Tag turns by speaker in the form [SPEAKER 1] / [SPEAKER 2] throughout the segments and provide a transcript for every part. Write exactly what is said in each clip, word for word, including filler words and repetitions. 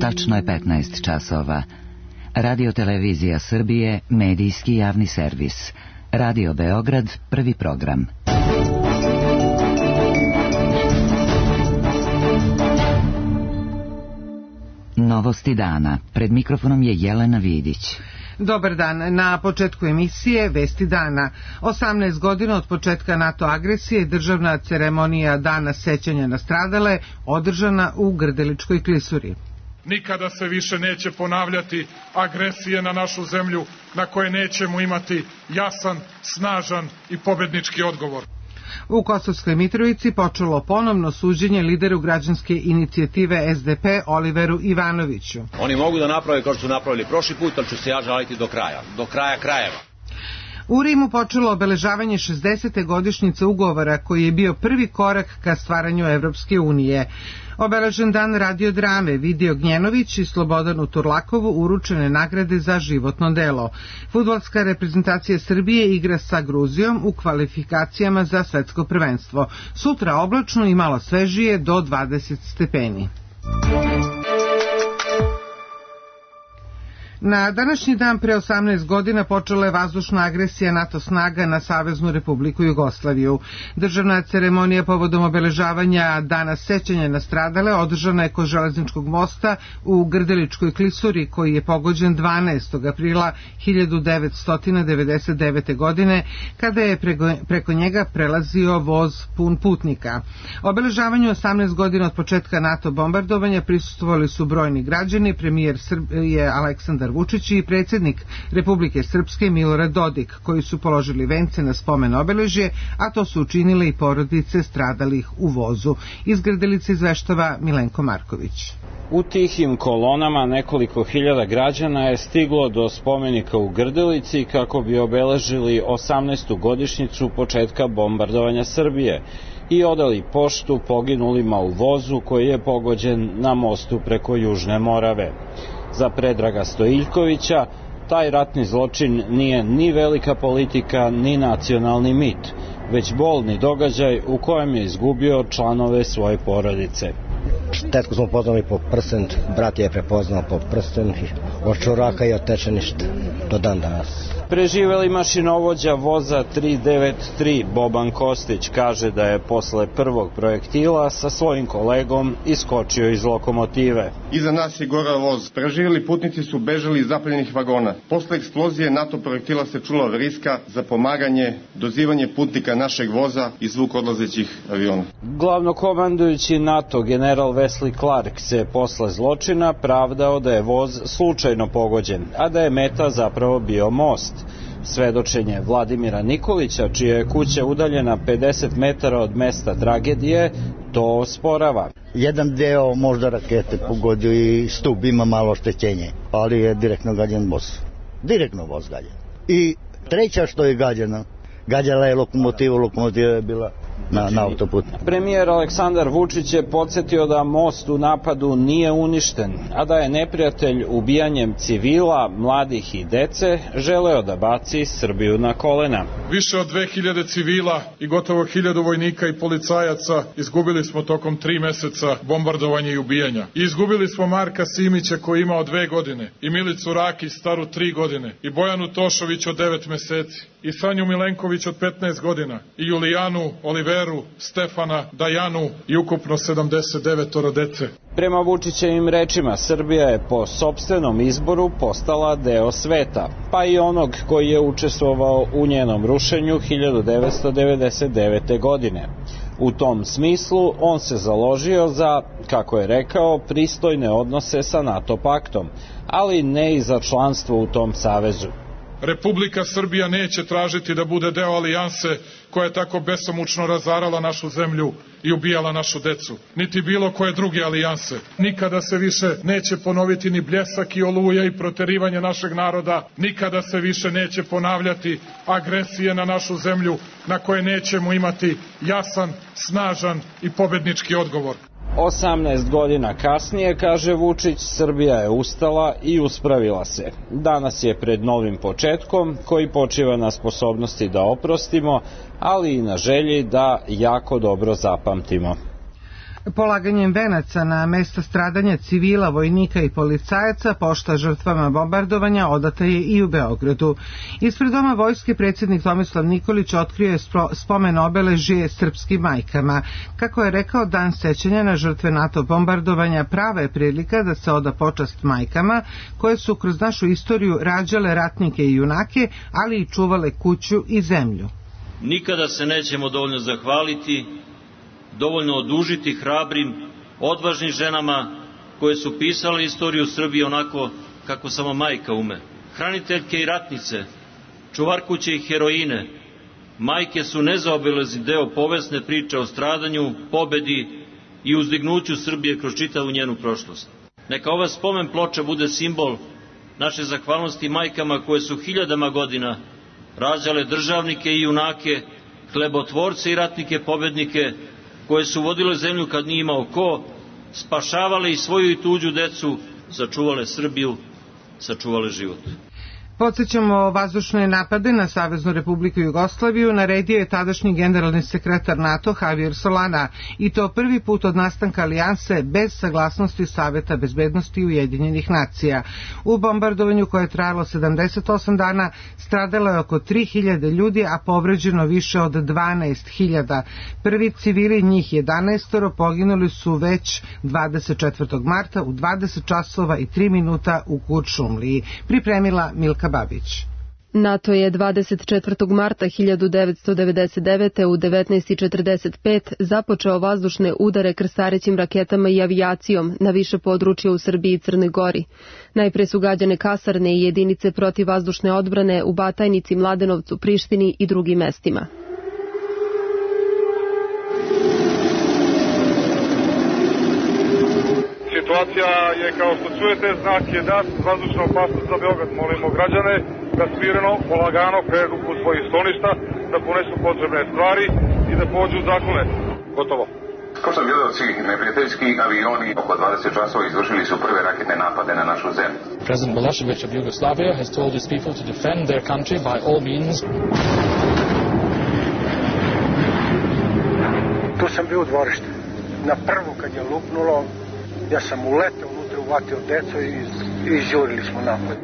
[SPEAKER 1] Tačno je petnaest časova. Radio Televizija Srbije, medijski javni servis. Radio Beograd, prvi program. Novosti dana. Pred mikrofonom je Jelena Vidić.
[SPEAKER 2] Dobar dan. Na početku emisije Vesti dana. osamnaest godina od početka NATO agresije, državna ceremonija Dana sećanja na stradale održana u Grdeličkoj klisuri.
[SPEAKER 3] Nikada se više neće ponavljati agresije na našu zemlju na koje nećemo imati jasan, snažan i pobednički odgovor.
[SPEAKER 2] U Kosovskoj Mitrovici počelo ponovno suđenje lideru građanske inicijative S D P Oliveru Ivanoviću.
[SPEAKER 4] Oni mogu da naprave kao što su napravili prošli put, ali ću se ja žaliti do kraja, do kraja krajeva.
[SPEAKER 2] U Rimu počelo obeležavanje šezdesete godišnjice ugovora koji je bio prvi korak ka stvaranju Evropske unije. Obeležen dan radiodrame Vidio Gnjenović i Slobodanu Turlakovu uručene nagrade za životno delo. Fudbalska reprezentacija Srbije igra sa Gruzijom u kvalifikacijama za svetsko prvenstvo. Sutra oblačno i malo svežije do dvadeset stepeni. Na današnji dan pre osamnaest godina počela je vazdušna agresija NATO snaga na Saveznu Republiku Jugoslaviju. Državna ceremonija povodom obeležavanja Dana sećanja na stradale održana je kod železničkog mosta u Grdeličkoj klisuri koji je pogođen dvanaestog aprila hiljadu devetsto devedeset devete. godine kada je preko, preko njega prelazio voz pun putnika. Obeležavanju osamnaest godina od početka NATO bombardovanja prisustvovali su brojni građani, premijer Srbije Aleksandar Vučić i predsjednik Republike Srpske Milorad Dodik, koji su položili vence na spomen obeležje, a to su učinile i porodice stradalih u vozu. Iz Grdelice izveštava Milenko Marković.
[SPEAKER 5] U tihim kolonama nekoliko hiljada građana je stiglo do spomenika u Grdelici kako bi obeležili osamnaestu godišnjicu početka bombardovanja Srbije i odali poštu poginulima u vozu koji je pogođen na mostu preko Južne Morave. Za Predraga Stojiljkovića taj ratni zločin nije ni velika politika ni nacionalni mit, već bolni događaj u kojem je izgubio članove svoje porodice.
[SPEAKER 6] Tetku smo poznali po prsten, brat je prepoznao po prsten, od čuraka i od tečeništa do dan danas.
[SPEAKER 5] Preživeli mašinovođa voza tri devet tri Boban Kostić kaže da je posle prvog projektila sa svojim kolegom iskočio iz lokomotive.
[SPEAKER 7] Iza nas je gorao voz. Preživeli putnici su bežali iz zapaljenih vagona. Posle eksplozije NATO projektila se čula vriska za pomaganje, dozivanje putnika našeg voza i zvuk odlazećih aviona.
[SPEAKER 5] Glavnokomandujući NATO general Wesley Clark se posle zločina pravdao da je voz slučajno pogođen, a da je meta zapravo bio most. Svedočenje Vladimira Nikolića, čija je kuća udaljena pedeset metara od mesta tragedije, to osporava.
[SPEAKER 6] Jedan deo možda rakete pogodio i stup ima malo oštećenje, ali je direktno gađan voz. Direktno voz gađan. I treća što je gađana, gađala je lokomotiva, lokomotiva je bila na, na autoputu.
[SPEAKER 5] Premijer Aleksandar Vučić je podsjetio da most u napadu nije uništen, a da je neprijatelj ubijanjem civila, mladih i dece želeo da baci Srbiju na kolena.
[SPEAKER 3] Više od dve hiljade civila i gotovo hiljadu vojnika i policajaca izgubili smo tokom tri meseca bombardovanja i ubijanja. I izgubili smo Marka Simića koji je imao dve godine, i Milicu Rakić staru tri godine, i Bojanu Tošović od devet meseci, i Sanju Milenković od petnaest godina, i Julijanu Oliveru, Stefana, Dajanu i ukupno sedamdeset devet dece.
[SPEAKER 5] Prema Vučićevim rečima, Srbija je po sopstvenom izboru postala deo sveta, pa i onog koji je učestvovao u njenom rušenju hiljadu devetsto devedeset devete. godine. U tom smislu on se založio za, kako je rekao, pristojne odnose sa NATO paktom, ali ne i za članstvo u tom savezu.
[SPEAKER 3] Republika Srbija neće tražiti da bude deo alijanse koja je tako besomučno razarala našu zemlju i ubijala našu decu, niti bilo koje druge alijanse. Nikada se više neće ponoviti ni Bljesak i Oluja i proterivanje našeg naroda, nikada se više neće ponavljati agresije na našu zemlju na koje nećemo imati jasan, snažan i pobednički odgovor.
[SPEAKER 5] osamnaest godina kasnije, kaže Vučić, Srbija je ustala i uspravila se. Danas je pred novim početkom koji počiva na sposobnosti da oprostimo, ali i na želji da jako dobro zapamtimo.
[SPEAKER 2] Polaganjem venaca na mesta stradanja civila, vojnika i policajaca pošta žrtvama bombardovanja odata je i u Beogradu. Ispred Doma vojske predsjednik Tomislav Nikolić otkrio je spomen obeležje srpskim majkama. Kako je rekao, dan sećanja na žrtve NATO bombardovanja prava je prilika da se oda počast majkama koje su kroz našu istoriju rađale ratnike i junake, ali i čuvale kuću i zemlju.
[SPEAKER 8] Nikada se nećemo dovoljno zahvaliti, dovoljno odužiti hrabrim, odvažnim ženama koje su pisale istoriju Srbije onako kako samo majka ume. Hraniteljke i ratnice, čuvarkuće i heroine, majke su nezaobilazni deo povesne priče o stradanju, pobedi i uzdignuću Srbije kroz čitavu njenu prošlost. Neka ova spomen ploča bude simbol naše zahvalnosti majkama koje su hiljadama godina rađale državnike i junake, hlebotvorce i ratnike pobednike, koje su vodile zemlju kad nije imao ko, spašavale i svoju i tuđu decu, sačuvale Srbiju, sačuvale život.
[SPEAKER 2] Podsjećamo, vazdušne napade na Saveznu Republiku Jugoslaviju naredio je tadašnji generalni sekretar NATO Javier Solana, i to prvi put od nastanka alijanse bez saglasnosti Saveta bezbednosti Ujedinjenih nacija. U bombardovanju koje je trajalo sedamdeset osam dana stradalo je oko tri hiljade ljudi, a povređeno više od dvanaest hiljada. Prvi civili, njih jedanaest, poginuli su već dvadeset četvrtog marta u dvadeset časova i tri minuta u Kuršumliji. Pripremila Milka Babić.
[SPEAKER 9] NATO je dvadeset četvrtog marta hiljadu devetsto devedeset devete u devetnaest i četrdeset pet započeo vazdušne udare krstarećim raketama i avijacijom na više područja u Srbiji i Crnoj Gori. Najpre su gađane kasarne i jedinice protivvazdušne odbrane u Batajnici, Mladenovcu, Prištini i drugim mestima.
[SPEAKER 10] Situacija je, kao što čujete, znak jedan, vazdušna opasnost za Beograd. Molimo građane da smireno, polagano kredu kod svojih stolišta, da ponesu potrebne stvari i da pođu u zaklone. Gotovo.
[SPEAKER 11] Kao što gledalci, neprijateljski avioni oko dvadeset časova izvršili su prve raketne napade na našu zemlju.
[SPEAKER 12] President Milošević of Yugoslavia has told his people to defend their country by all means.
[SPEAKER 13] Tu sam bio u dvorištu. Na prvu kad je lupnulo, ja sam uletao unutra, uvatio deco i, i izjurili smo napad.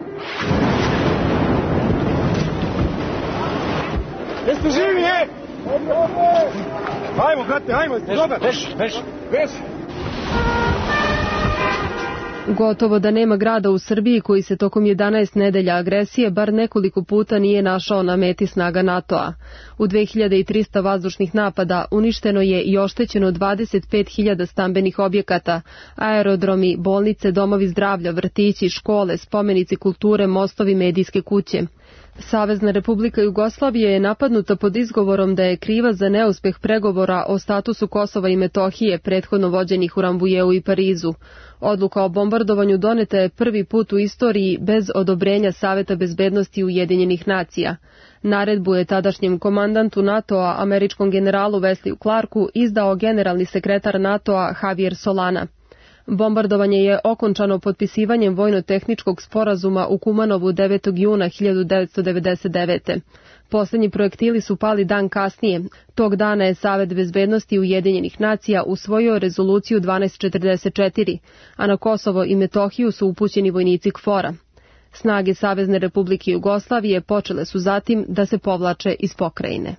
[SPEAKER 10] Jeste živi, je? Hajmo, brate, hajmo, dobar. Veš, veš, veš.
[SPEAKER 9] Gotovo da nema grada u Srbiji koji se tokom jedanaest nedelja agresije bar nekoliko puta nije našao na meti snaga NATO-a. U dve hiljade trista vazdušnih napada uništeno je i oštećeno dvadeset pet hiljada stambenih objekata, aerodromi, bolnice, domovi zdravlja, vrtići, škole, spomenici kulture, mostovi, medijske kuće. Savezna Republika Jugoslavije je napadnuta pod izgovorom da je kriva za neuspeh pregovora o statusu Kosova i Metohije prethodno vođenih u Rambujeu i Parizu. Odluka o bombardovanju doneta je prvi put u istoriji bez odobrenja Saveta bezbednosti Ujedinjenih nacija. Naredbu je tadašnjem komandantu NATO-a, američkom generalu Wesleyu Clarku, izdao generalni sekretar NATO-a Javier Solana. Bombardovanje je okončano potpisivanjem vojno-tehničkog sporazuma u Kumanovu devetog juna hiljadu devetsto devedeset devete. Poslednji projektili su pali dan kasnije. Tog dana je Savet bezbednosti Ujedinjenih nacija usvojio rezoluciju dvanaest četrdeset četiri, a na Kosovo i Metohiju su upućeni vojnici KFOR-a. Snage Savezne Republike Jugoslavije počele su zatim da se povlače iz pokrajine.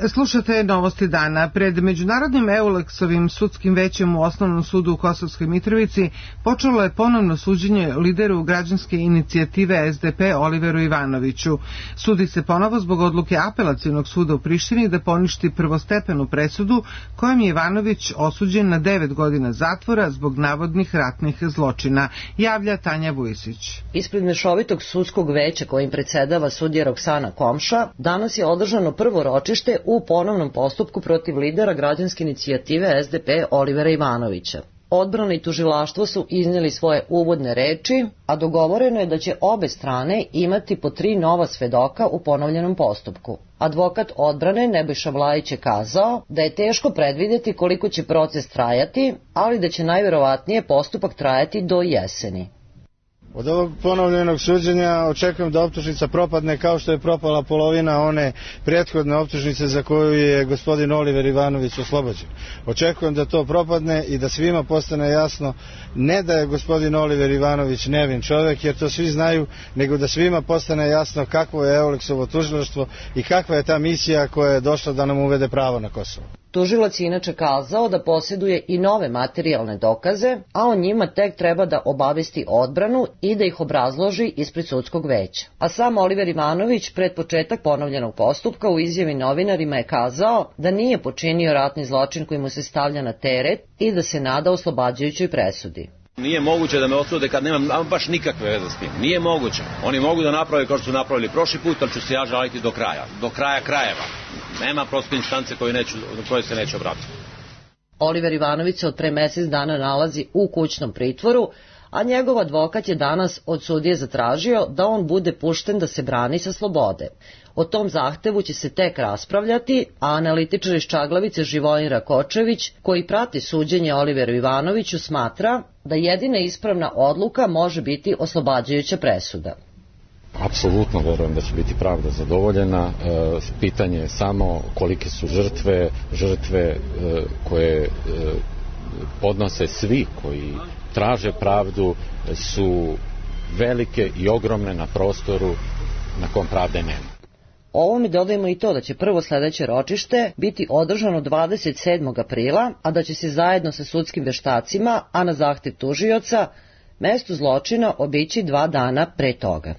[SPEAKER 2] Slušate novosti dana. Pred Međunarodnim Eulexovim sudskim većem u Osnovnom sudu u Kosovskoj Mitrovici počelo je ponovno suđenje lideru građanske inicijative S D P Oliveru Ivanoviću. Sudi se ponovo zbog odluke Apelacionog suda u Prištini da poništi prvostepenu presudu kojom je Ivanović osuđen na devet godina zatvora zbog navodnih ratnih zločina, javlja Tanja Vujisić.
[SPEAKER 14] Ispred mešovitog sudskog veća kojim predsedava sudija Roksana Komša, danas je održano prvo ročište u ponovnom postupku protiv lidera građanske inicijative S D P Olivera Ivanovića. Odbrana i tužilaštvo su iznijeli svoje uvodne reči, a dogovoreno je da će obe strane imati po tri nova svedoka u ponovljenom postupku. Advokat odbrane Nebojša Vlajić je kazao da je teško predvideti koliko će proces trajati, ali da će najverovatnije postupak trajati do jeseni.
[SPEAKER 15] Od ovog ponovljenog suđenja očekujem da optužnica propadne kao što je propala polovina one prethodne optužnice za koju je gospodin Oliver Ivanović oslobođen. Očekujem da to propadne i da svima postane jasno ne da je gospodin Oliver Ivanović nevin čovjek, jer to svi znaju, nego da svima postane jasno kakvo je Euleksovo tužilaštvo i kakva je ta misija koja je došla da nam uvede pravo na Kosovo.
[SPEAKER 14] Tužilac je inače kazao da posjeduje i nove materijalne dokaze, a o njima tek treba da obavesti odbranu i da ih obrazloži ispred sudskog veća. A sam Oliver Ivanović pred početak ponovljenog postupka u izjavi novinarima je kazao da nije počinio ratni zločin koji mu se stavlja na teret i da se nada oslobađajućoj presudi.
[SPEAKER 4] Nije moguće da me osude kad nemam baš nikakve veze s tim. Nije moguće. Oni mogu da naprave kao što su napravili prošli put, ali ću se ja žaliti do kraja. Do kraja krajeva. Nema prosto instance koje, neću, koje se neće obratiti.
[SPEAKER 14] Oliver Ivanović se od pre mesec dana nalazi u kućnom pritvoru, a njegov advokat je danas od sudije zatražio da on bude pušten da se brani sa slobode. O tom zahtevu će se tek raspravljati, a analitičar iz Čaglavice Živojin Rakočević, koji prati suđenje Oliveru Ivanoviću, smatra da jedina ispravna odluka može biti oslobađajuća presuda.
[SPEAKER 16] Apsolutno verujem da će biti pravda zadovoljena. E, pitanje je samo kolike su žrtve, žrtve e, koje e, podnose svi koji traže pravdu su velike i ogromne na prostoru na kom pravde nema.
[SPEAKER 14] Ovome dodajemo i to da će prvo sledeće ročište biti održano dvadeset sedmog aprila, a da će se zajedno sa sudskim veštacima, a na zahtev tužioca, mesto zločina obići dva dana pre toga.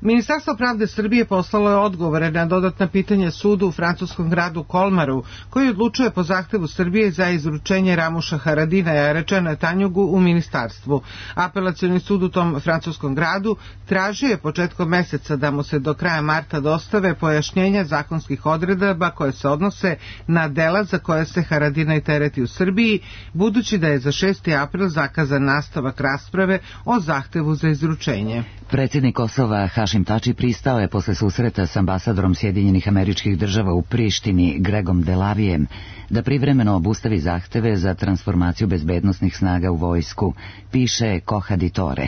[SPEAKER 2] Ministarstvo pravde Srbije poslalo je odgovore na dodatna pitanja sudu u francuskom gradu Kolmaru, koji odlučuje po zahtevu Srbije za izručenje Ramuša Haradina i Arečana Tanjugu u ministarstvu. Apelacioni sud u tom francuskom gradu tražio je početkom meseca da mu se do kraja marta dostave pojašnjenja zakonskih odredaba koje se odnose na dela za koje se Haradina i tereti u Srbiji, budući da je za šesti april zakazan nastavak rasprave o zahtevu za izručenje.
[SPEAKER 1] Predsjednik Kosova Hašim Tači pristao je posle susreta s ambasadorom Sjedinjenih Američkih Država u Prištini Gregom Delavijem da privremeno obustavi zahteve za transformaciju bezbednosnih snaga u vojsku, piše Kohaditore.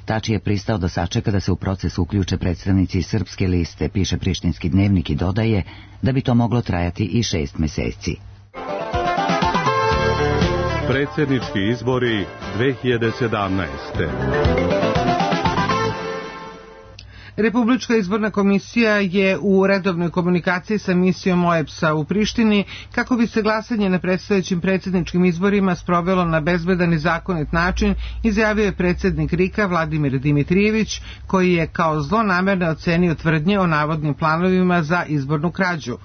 [SPEAKER 1] Tači je pristao da sačeka da se u proces uključe predstavnici Srpske liste, piše Prištinski dnevnik i dodaje da bi to moglo trajati i šest meseci.
[SPEAKER 17] Predsjednički izbori dve hiljade sedamnaeste.
[SPEAKER 2] Republička izborna komisija je u redovnoj komunikaciji sa misijom O E B S-a u Prištini kako bi se glasanje na predstojećim predsjedničkim izborima sprovelo na bezbedan i zakonit način, izjavio je predsjednik R I K-a Vladimir Dimitrijević, koji je kao zlonamerno ocenio tvrdnje o navodnim planovima za izbornu krađu.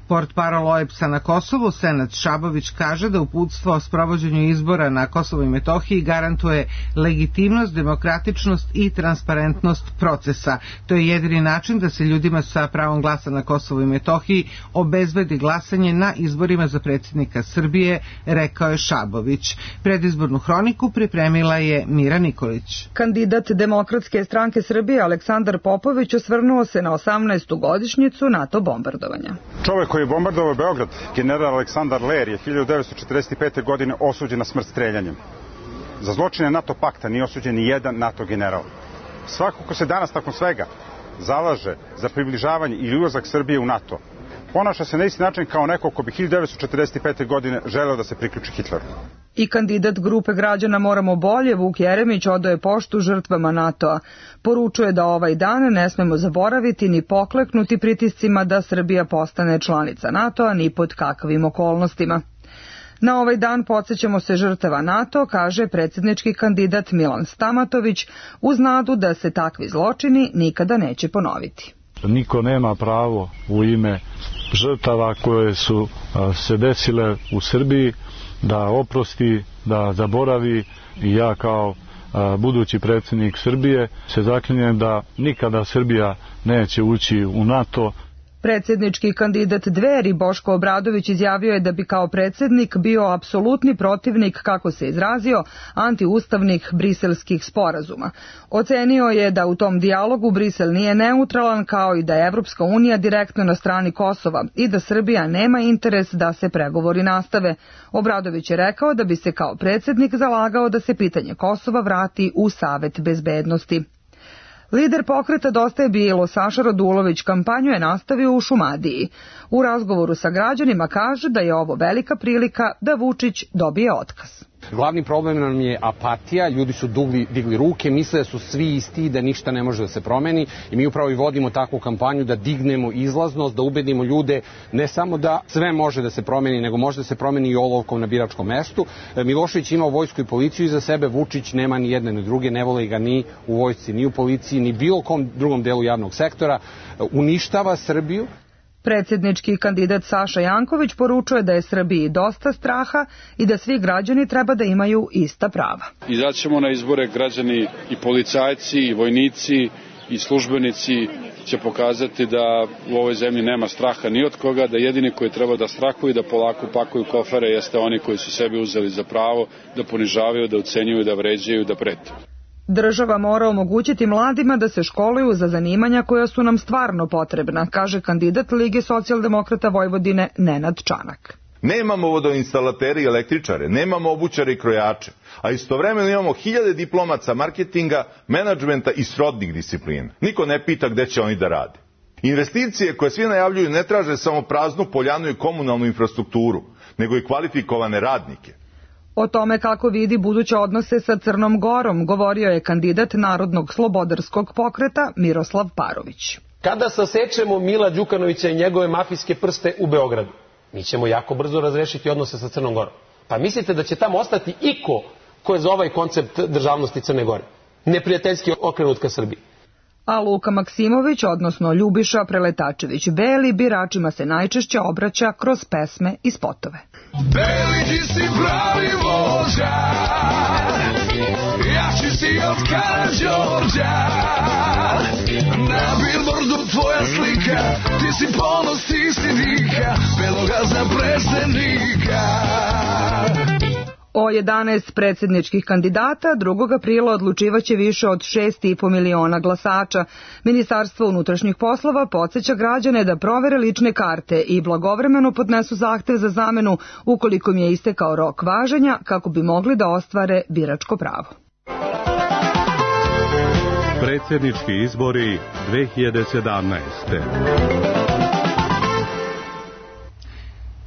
[SPEAKER 2] Portparol O E B S-a na Kosovu, Senad Šabović, kaže da uputstvo o sprovođenju izbora na Kosovu i Metohiji garantuje legitimnost, demokratičnost i transparentnost procesa. To je jedini način da se ljudima sa pravom glasa na Kosovu i Metohiji obezbedi glasanje na izborima za predsjednika Srbije, rekao je Šabović. Predizbornu hroniku pripremila je Mira Nikolić.
[SPEAKER 18] Kandidat Demokratske stranke Srbije Aleksandar Popović osvrnuo se na osamnaestu godišnjicu NATO bombardovanja.
[SPEAKER 19] Čovek koji je bombardovao Beograd, general Aleksandar Ler, je hiljadu devetsto četrdeset pete. godine osuđen na smrt streljanjem. Za zločine NATO pakta nije osuđen ni jedan NATO general. Svako ko se danas nakon svega zalaže za približavanje ili ulazak Srbije u NATO, ponaša se na isti način kao neko ko bi hiljadu devetsto četrdeset pete. godine želeo da se priključi Hitleru.
[SPEAKER 18] I kandidat grupe građana Moramo bolje, Vuk Jeremić, odaje poštu žrtvama NATO-a. Poručuje da ovaj dan ne smemo zaboraviti ni pokleknuti pritiscima da Srbija postane članica NATO-a ni pod kakvim okolnostima. Na ovaj dan podsjećamo se žrtava NATO, kaže predsjednički kandidat Milan Stamatović, uz nadu da se takvi zločini nikada neće ponoviti.
[SPEAKER 20] Niko nema pravo u ime žrtava koje su se desile u Srbiji da oprosti, da zaboravi, i ja kao budući predsjednik Srbije se zaklinjem da nikada Srbija neće ući u NATO.
[SPEAKER 18] Predsjednički kandidat Dveri Boško Obradović izjavio je da bi kao predsjednik bio apsolutni protivnik, kako se izrazio, antiustavnih briselskih sporazuma. Ocenio je da u tom dijalogu Brisel nije neutralan, kao i da je Evropska unija direktno na strani Kosova i da Srbija nema interes da se pregovori nastave. Obradović je rekao da bi se kao predsjednik zalagao da se pitanje Kosova vrati u Savet bezbednosti. Lider pokreta Dosta je bilo, Saša Radulović, kampanju je nastavio u Šumadiji. U razgovoru sa građanima kaže da je ovo velika prilika da Vučić dobije otkaz.
[SPEAKER 21] Glavni problem nam je apatija, ljudi su dugli, digli ruke, misle da su svi isti, da ništa ne može da se promeni i mi upravo i vodimo takvu kampanju da dignemo izlaznost, da ubedimo ljude ne samo da sve može da se promeni, nego može da se promeni i olovkom na biračkom mestu. Milošević ima vojsku i policiju iza sebe, Vučić nema ni jedne ni druge, ne vole ga ni u vojsci, ni u policiji, ni bilo kom drugom delu javnog sektora, uništava Srbiju.
[SPEAKER 18] Predsjednički kandidat Saša Janković poručuje da je Srbiji dosta straha i da svi građani treba da imaju ista prava.
[SPEAKER 22] Izaćemo na izbore, građani i policajci i vojnici i službenici će pokazati da u ovoj zemlji nema straha ni od koga, da jedini koji treba da strahuju i da polako pakuju kofere jeste oni koji su sebi uzeli za pravo da ponižavaju, da ucenjuju, da vređaju, da prete.
[SPEAKER 18] Država mora omogućiti mladima da se školuju za zanimanja koja su nam stvarno potrebna, kaže kandidat Lige socijaldemokrata Vojvodine Nenad Čanak.
[SPEAKER 23] Nemamo vodoinstalateri i električare, nemamo obućare i krojače, a istovremeno imamo hiljade diplomaca marketinga, menadžmenta i srodnih disciplina. Niko ne pita gde će oni da rade. Investicije koje svi najavljuju ne traže samo praznu poljanu i komunalnu infrastrukturu, nego i kvalifikovane radnike.
[SPEAKER 18] O tome kako vidi buduće odnose sa Crnom Gorom govorio je kandidat Narodnog slobodarskog pokreta Miroslav Parović.
[SPEAKER 24] Kada sasečemo Mila Đukanovića i njegove mafijske prste u Beogradu, mi ćemo jako brzo razrešiti odnose sa Crnom Gorom. Pa mislite da će tamo ostati iko ko je za ovaj koncept državnosti Crne Gore? Neprijateljski okrenut ka Srbiji.
[SPEAKER 18] A Luka Maksimović, odnosno Ljubiša Preletačević Beli, biračima se najčešće obraća kroz pesme i spotove.
[SPEAKER 25] Beli, ti si pravi vođa, jači si od Karađorđa, na billboardu tvoja slika, ti si ponos, ti si dika, Beloga za predsjednika.
[SPEAKER 18] O jedanaest predsjedničkih kandidata drugog aprila odlučivaće više od šest i po miliona glasača. Ministarstvo unutrašnjih poslova podsjeća građane da provere lične karte i blagovremeno podnesu zahtev za zamenu ukoliko im je istekao rok važenja kako bi mogli da ostvare biračko pravo.
[SPEAKER 17] Predsjednički izbori dve hiljade sedamnaeste.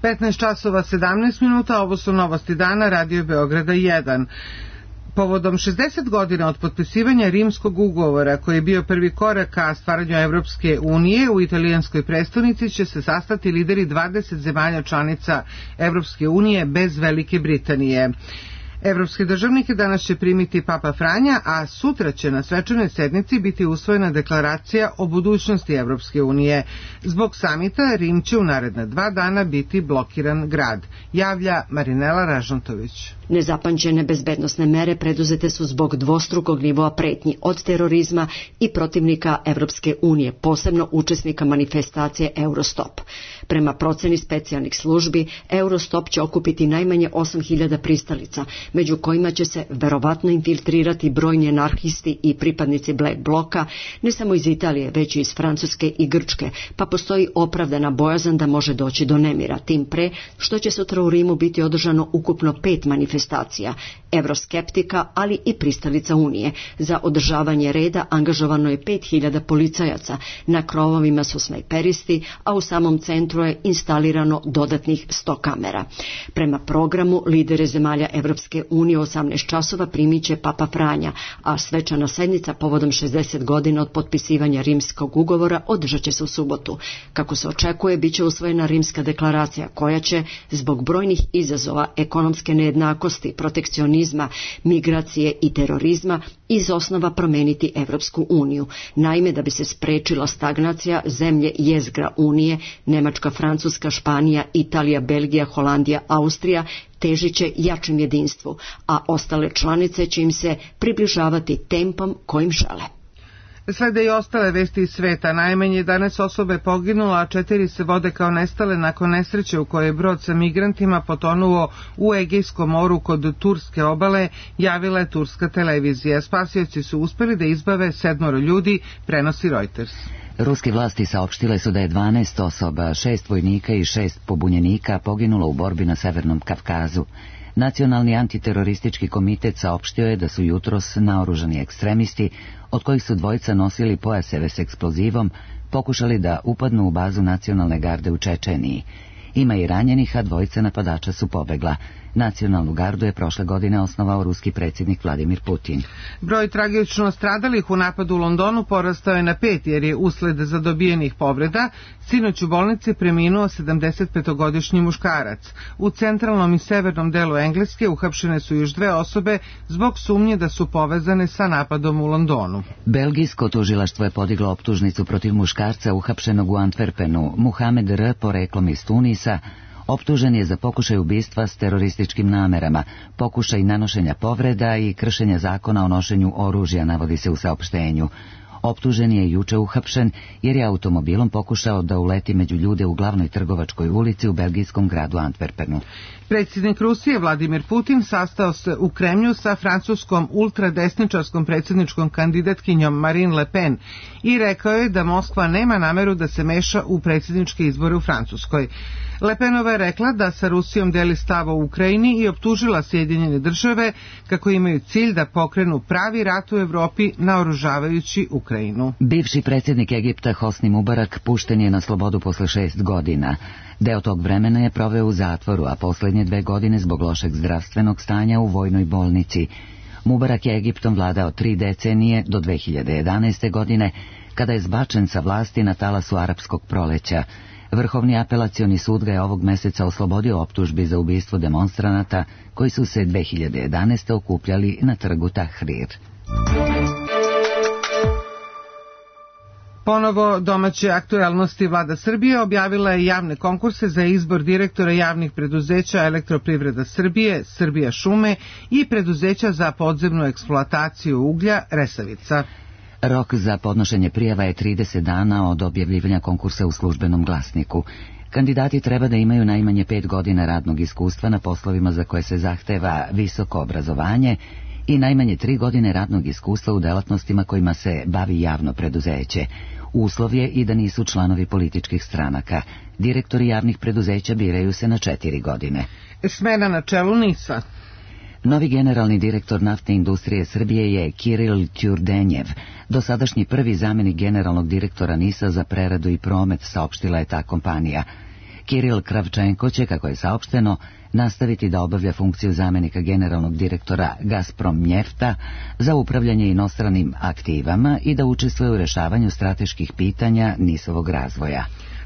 [SPEAKER 2] petnaest časova sedamnaest minuta, ovo su novosti dana, Radio Beograda jedan. Povodom šezdeset godina od potpisivanja Rimskog ugovora, koji je bio prvi korak ka stvaranju Evropske unije, u italijanskoj prestonici će se sastati lideri dvadeset zemalja članica Evropske unije bez Velike Britanije. Evropske državnike danas će primiti Papa Franja, a sutra će na svečanoj sednici biti usvojena deklaracija o budućnosti Evropske unije. Zbog samita Rim će u naredna dva dana biti blokiran grad, javlja Marinela Ražnatović.
[SPEAKER 26] Nezapamćene bezbednosne mere preduzete su zbog dvostrukog nivoa pretnji od terorizma i protivnika Evropske unije, posebno učesnika manifestacije Eurostop. Prema proceni specijalnih službi, Eurostop će okupiti najmanje osam hiljada pristalica, među kojima će se verovatno infiltrirati brojni anarhisti i pripadnici Black Bloka, ne samo iz Italije, već i iz Francuske i Grčke, pa postoji opravdana bojazan da može doći do nemira, tim pre što će sutra u Rimu biti održano ukupno pet manifestacija, evroskeptika, ali i pristalica Unije. Za održavanje reda angažovano je pet hiljada policajaca, na krovovima su snajperisti, a u samom centru je instalirano dodatnih sto kamera. Prema programu, lidere zemalja Evropske unije u osamnaest časova primit će Papa Franja, a svečana sednica povodom šezdeset godina od potpisivanja Rimskog ugovora održat će se u subotu. Kako se očekuje, bit će usvojena Rimska deklaracija, koja će, zbog brojnih izazova ekonomske nejednakosti, protekcionizma, migracije i terorizma, iz osnova promeniti Evropsku uniju. Naime, da bi se sprečila stagnacija, zemlje jezgra Unije, Nemačka, Francuska, Španija, Italija, Belgija, Holandija, Austrija, težit će jačem jedinstvu, a ostale članice će im se približavati tempom kojim žele.
[SPEAKER 2] Slede i ostale vesti iz sveta. Najmanje jedanaest osobe poginula, a četiri se vode kao nestale nakon nesreće u kojoj je brod sa migrantima potonuo u Egejskom moru kod turske obale, javila je turska televizija. Spasioci su uspeli da izbave sedmoro ljudi, prenosi Reuters.
[SPEAKER 1] Ruske vlasti saopštile su da je dvanaest osoba, šest vojnika i šest pobunjenika poginulo u borbi na Severnom Kavkazu. Nacionalni antiteroristički komitet saopštio je da su jutros naoružani ekstremisti, od kojih su dvojica nosili pojaseve s eksplozivom, pokušali da upadnu u bazu nacionalne garde u Čečeniji. Ima i ranjenih, a dvojica napadača su pobegla. Nacionalnu gardu je prošle godine osnovao ruski predsjednik Vladimir Putin.
[SPEAKER 2] Broj tragično stradalih u napadu u Londonu porastao je na pet, jer je usled zadobijenih povreda sinoć u bolnici preminuo sedamdesetpetogodišnji muškarac. U centralnom i severnom delu Engleske uhapšene su još dve osobe zbog sumnje da su povezane sa napadom u Londonu.
[SPEAKER 1] Belgijsko tužilaštvo je podiglo optužnicu protiv muškarca uhapšenog u Antwerpenu, Muhamed R. poreklom iz Tunisa. Optužen je za pokušaj ubistva s terorističkim namerama, pokušaj nanošenja povreda i kršenja zakona o nošenju oružja, navodi se u saopštenju. Optužen je juče uhapšen jer je automobilom pokušao da uleti među ljude u glavnoj trgovačkoj ulici u belgijskom gradu Antwerpenu.
[SPEAKER 2] Predsjednik Rusije Vladimir Putin sastao se u Kremlju sa francuskom ultradesničarskom predsjedničkom kandidatkinjom Marine Le Pen i rekao je da Moskva nema nameru da se meša u predsjedničke izbore u Francuskoj. Le Penova je rekla da sa Rusijom deli stav o Ukrajini i optužila Sjedinjene države kako imaju cilj da pokrenu pravi rat u Evropi naoružavajući Ukrajinu.
[SPEAKER 1] Bivši predsjednik Egipta Hosni Mubarak pušten je na slobodu posle šest godina. Deo tog vremena je proveo u zatvoru, a poslednje dve godine zbog lošeg zdravstvenog stanja u vojnoj bolnici. Mubarak je Egiptom vladao tri decenije do dve hiljade jedanaeste. godine, kada je zbačen sa vlasti na talasu arapskog proleća. Vrhovni apelacioni sud ga je ovog meseca oslobodio optužbi za ubistvo demonstranata koji su se dve hiljade jedanaeste. okupljali na trgu Tahrir.
[SPEAKER 2] Ponovo domaće aktuelnosti. Vlada Srbije objavila je javne konkurse za izbor direktora javnih preduzeća Elektroprivreda Srbije, Srbija šume i preduzeća za podzemnu eksploataciju uglja Resavica.
[SPEAKER 1] Rok za podnošenje prijava je trideset dana od objavljivanja konkursa u Službenom glasniku. Kandidati treba da imaju najmanje pet godina radnog iskustva na poslovima za koje se zahteva visoko obrazovanje i najmanje tri godine radnog iskustva u delatnostima kojima se bavi javno preduzeće. Uslov je i da nisu članovi političkih stranaka. Direktori javnih preduzeća biraju se na četiri godine.
[SPEAKER 2] Smena na čelu NIS-a.
[SPEAKER 1] Novi generalni direktor naftne industrije Srbije je Kiril Ćurdenjev, dosadašnji prvi zamjenik generalnog direktora NIS-a za preradu i promet, saopštila je ta kompanija. Kiril Kravčenko će, kako je saopšteno, nastaviti da obavlja funkciju zamjenika generalnog direktora Gazprom Njefta za upravljanje inostranim aktivama i da učestvuje u rešavanju strateških pitanja NIS-ovog razvoja.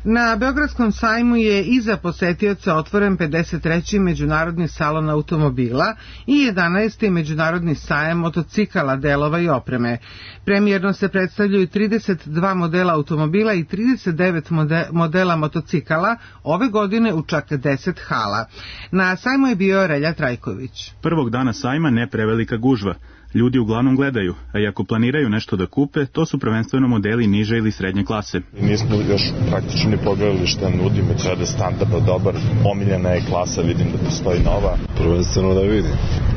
[SPEAKER 2] Na Beogradskom sajmu je i za posetioca otvoren pedeset treći međunarodni salon automobila i jedanaesti međunarodni sajam motocikala, delova i opreme. Premijerno se predstavljaju trideset dva modela automobila i trideset devet modela motocikala, ove godine u čak deset hala. Na sajmu je bio Relja Trajković.
[SPEAKER 3] Prvog dana sajma ne prevelika gužva. Ljudi uglavnom gledaju, a i ako planiraju nešto da kupe, to su prvenstveno modeli niže ili srednje klase.
[SPEAKER 5] Nismo još praktično ni pogledali šta nudimo, treba da standardno dobar, omiljena je klasa, vidim da postoji nova.
[SPEAKER 6] Prvenstveno da vidim,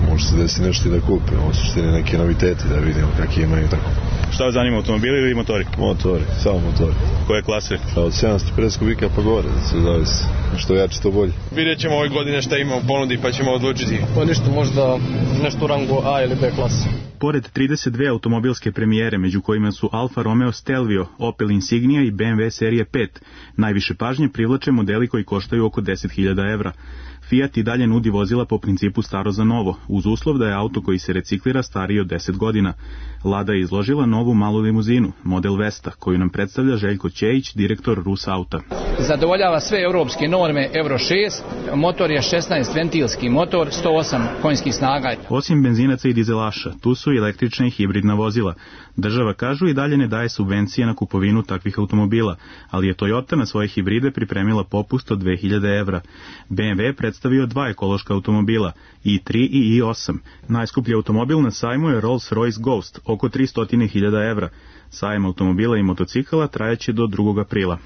[SPEAKER 6] može se desi nešto i da kupe, ovo su štine neke noviteti da vidimo kakve imaju i tako.
[SPEAKER 3] Šta vas zanima, automobili ili motori?
[SPEAKER 6] Motori, samo motori.
[SPEAKER 3] Koje klase?
[SPEAKER 6] Od sedamsto pedeset kubika pa gore, da se zavisi. Što jače, to bolje.
[SPEAKER 7] Vidjet ćemo ove godine šta ima u ponudi pa ćemo odlučiti.
[SPEAKER 8] Pa ništa, možda nešto u rangu A ili B klase.
[SPEAKER 3] Pored trideset dve automobilske premijere, među kojima su Alfa Romeo Stelvio, Opel Insignia i B M W serije pet, najviše pažnje privlače modeli koji koštaju oko deset hiljada evra. Fiat i dalje nudi vozila po principu staro za novo, uz uslov da je auto koji se reciklira stariji od deset godina. Lada je izložila novu malu limuzinu, model Vesta, koju nam predstavlja Željko Ćejić, direktor Rus Auta.
[SPEAKER 8] Zadovoljava sve europske norme Euro šest, motor je šesnaest ventilski motor, sto osam konjskih snaga.
[SPEAKER 3] Osim benzinaca i dizelaša, tu su su i električna i hibridna vozila. Država, kažu, i dalje ne daje subvencije na kupovinu takvih automobila, ali je Toyota na svoje hibride pripremila popust od dve hiljade evra. B M W je predstavio dva ekološka automobila, i tri i i osam. Najskuplji automobil na sajmu je Rolls-Royce Ghost, oko tristo hiljada evra. Sajam automobila i motocikala trajaće do drugog aprila.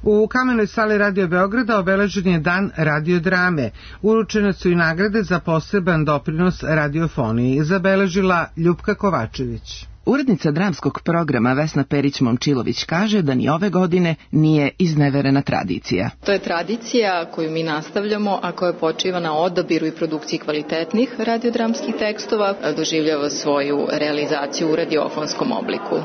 [SPEAKER 2] U Kamenoj sali Radio Beograda obeležen je dan radiodrame. Uručene su i nagrade za poseban doprinos radiofoniji. Zabeležila Ljupka Kovačević.
[SPEAKER 9] Urednica dramskog programa Vesna Perić-Momčilović kaže da ni ove godine nije izneverena tradicija.
[SPEAKER 10] To je tradicija koju mi nastavljamo, a koja počiva na odabiru i produkciji kvalitetnih radiodramskih tekstova, doživljava svoju realizaciju u radiofonskom obliku.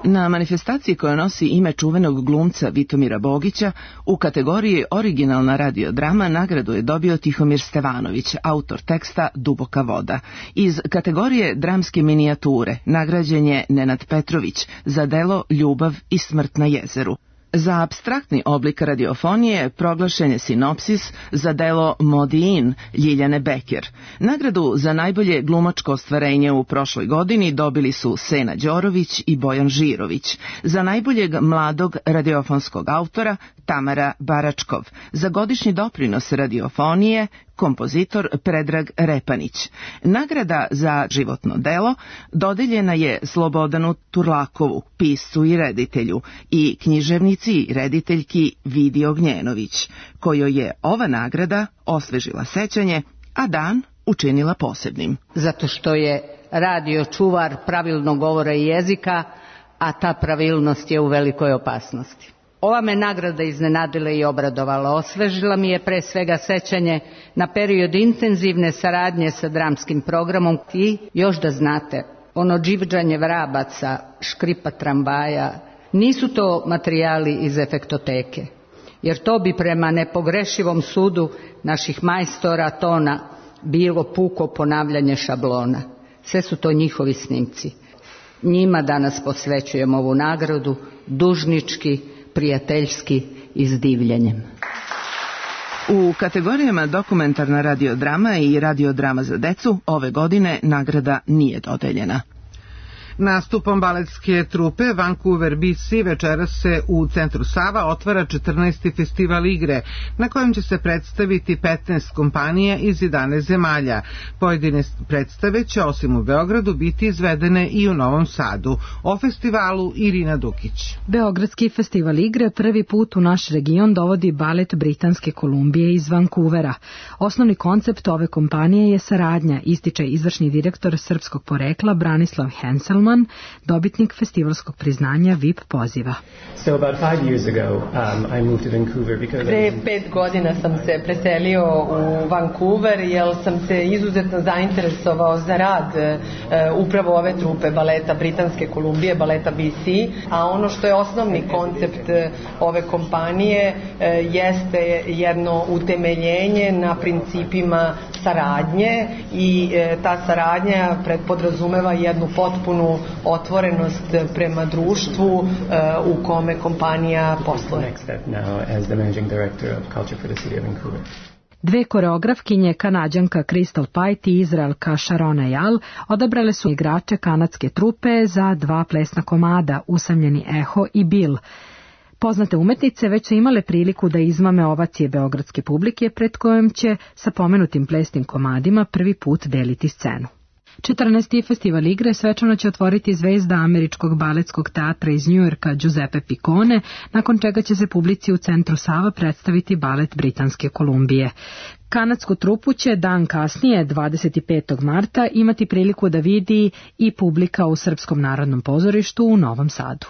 [SPEAKER 9] Na manifestaciji koja nosi ime čuvenog glumca Vitomira Bogića, u kategoriji originalna radiodrama nagradu je dobio Tihomir Stevanović, autor teksta Duboka voda. Iz kategorije dramske minijature nagrađen je Nenad Petrović za delo Ljubav i smrt na jezeru. Za apstraktni oblik radiofonije proglašen je Sinopsis za delo Modiin Ljiljane Beker. Nagradu za najbolje glumačko ostvarenje u prošloj godini dobili su Sena Đorović i Bojan Žirović. Za najboljeg mladog radiofonskog autora Tamara Baračkov. Za godišnji doprinos radiofonije kompozitor Predrag Repanić. Nagrada za životno delo dodeljena je Slobodanu Turlakovu, piscu i reditelju, i književnici i rediteljki Vidi Ognjenović, kojoj je ova nagrada osvežila sećanje, a dan učinila posebnim.
[SPEAKER 11] Zato što je radio čuvar pravilnog govora i jezika, a ta pravilnost je u velikoj opasnosti. Ova me nagrada iznenadila i obradovala. Osvežila mi je pre svega sećanje na period intenzivne saradnje sa dramskim programom i, još da znate, ono dživđanje vrabaca, škripa tramvaja, nisu to materijali iz efektoteke, jer to bi prema nepogrešivom sudu naših majstora tona bilo puko ponavljanje šablona. Sve su to njihovi snimci. Njima danas posvećujem ovu nagradu, dužnički, prijateljski i s divljenjem.
[SPEAKER 9] U kategorijama dokumentarna radiodrama i radiodrama za decu ove godine nagrada nije dodeljena.
[SPEAKER 2] Nastupom baletske trupe Vancouver B C večeras se u centru Sava otvara četrnaesti festival igre, na kojem će se predstaviti petnaest kompanija iz jedanaest zemalja. Pojedine predstave će osim u Beogradu biti izvedene i u Novom Sadu. O festivalu Irina Dukić.
[SPEAKER 12] Beogradski festival igre prvi put u naš region dovodi balet Britanske Kolumbije iz Vancouvera. Osnovni koncept ove kompanije je saradnja, ističe izvršni direktor srpskog porekla Branislav Henselman, dobitnik festivalskog priznanja V I P poziva.
[SPEAKER 13] So about five years ago, um, I moved to Vancouver because
[SPEAKER 15] Pre pet godina sam se preselio u Vancouver jer sam se izuzetno zainteresovao za rad uh, upravo ove trupe baleta Britanske Kolumbije, baleta B C, a ono što je osnovni koncept uh, ove kompanije uh, jeste jedno utemeljenje na principima saradnje i uh, ta saradnja podrazumeva jednu potpunu otvorenost prema društvu uh, u kome kompanija posluje.
[SPEAKER 12] Dve koreografkinje, Kanađanka Crystal Pite i Izraelka Sharona Jal, odabrale su igrače kanadske trupe za dva plesna komada, Usamljeni eho i Bill. Poznate umetnice već su imale priliku da izmame ovacije beogradske publike, pred kojom će sa pomenutim plesnim komadima prvi put deliti scenu. četrnaesti festival igre svečano će otvoriti zvezda američkog baletskog teatra iz Njujorka Giuseppe Piccone, nakon čega će se publici u centru Sava predstaviti balet Britanske Kolumbije. Kanadsku trupu će dan kasnije, dvadeset petog marta, imati priliku da vidi i publika u Srpskom narodnom pozorištu u Novom Sadu.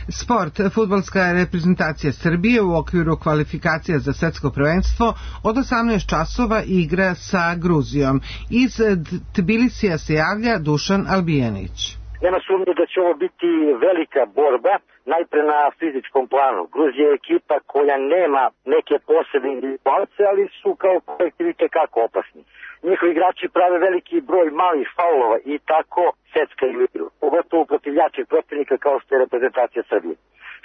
[SPEAKER 2] Sport. Fudbalska reprezentacija Srbije u okviru kvalifikacija za svetsko prvenstvo od osamnaest časova igra sa Gruzijom. Iz Tbilisija se javlja Dušan Albijanić.
[SPEAKER 27] Nema sumnje da će ovo biti velika borba, najpre na fizičkom planu. Gruzija je ekipa koja nema neke posebne individualce, ali su kao kolektiv kako opasni. Njihovi igrači prave veliki broj malih faulova i tako seckaju igru, pogotovo protiv jačih protivnika kao što je reprezentacija Srbije.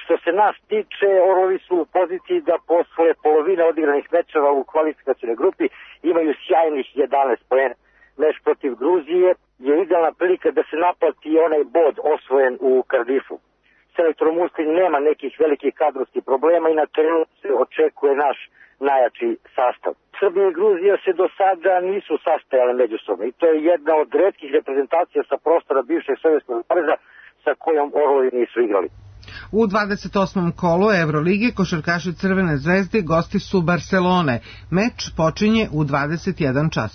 [SPEAKER 27] Što se nas tiče, Orovi su u poziciji da posle polovine odigranih mečeva u kvalifikacijnoj grupi imaju sjajnih jedanaest poena. Meč protiv Gruzije je idealna prilika da se naplati onaj bod osvojen u Cardiffu. Selektor Muslin nema nekih velikih kadrovskih problema i na terenu se očekuje naš najjači sastav. Srbija i Gruzija se do sada nisu sastajale međusobno i to je jedna od retkih reprezentacija sa prostora bivšeg Sovjetskog saveza sa kojom Orlovi nisu igrali.
[SPEAKER 2] U dvadeset osmom kolu Evrolige košarkaši Crvene zvezde gosti su Barcelone. Meč počinje u dvadeset jedan čas.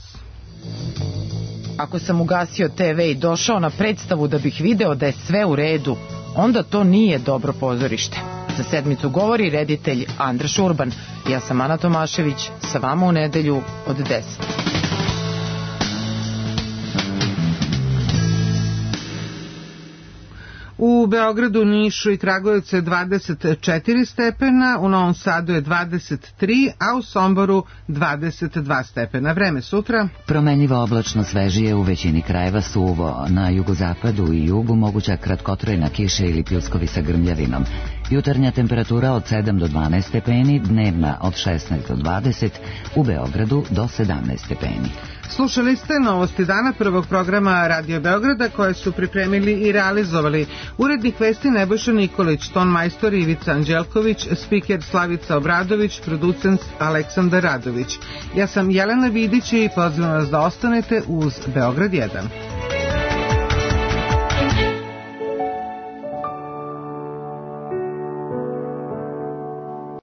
[SPEAKER 4] Ako sam ugasio te ve i došao na predstavu da bih video da je sve u redu, onda to nije dobro pozorište. Za sedmicu govori reditelj Andraš Urban. Ja sam Ana Tomašević, sa vama u nedelju od deset.
[SPEAKER 2] U Beogradu, Nišu i Kragujevcu je dvadeset četiri stepena, u Novom Sadu je dvadeset tri, a u Somboru dvadeset dva stepena. Vreme sutra?
[SPEAKER 1] Promenljivo oblačno, svežije, u većini krajeva suvo. Na jugozapadu i jugu moguća kratkotrajna kiša ili pljuskovi sa grmljavinom. Jutarnja temperatura od sedam do dvanaest stepeni, dnevna od šesnaest do dvadeset, u Beogradu do sedamnaest stepeni.
[SPEAKER 2] Slušali ste novosti dana prvog programa Radio Beograda koje su pripremili i realizovali urednik vesti Nebojša Nikolić, ton majstor Ivica Anđelković, spiker Slavica Obradović, producent Aleksandar Radović. Ja sam Jelena Vidić i pozivam vas da ostanete uz Beograd jedan.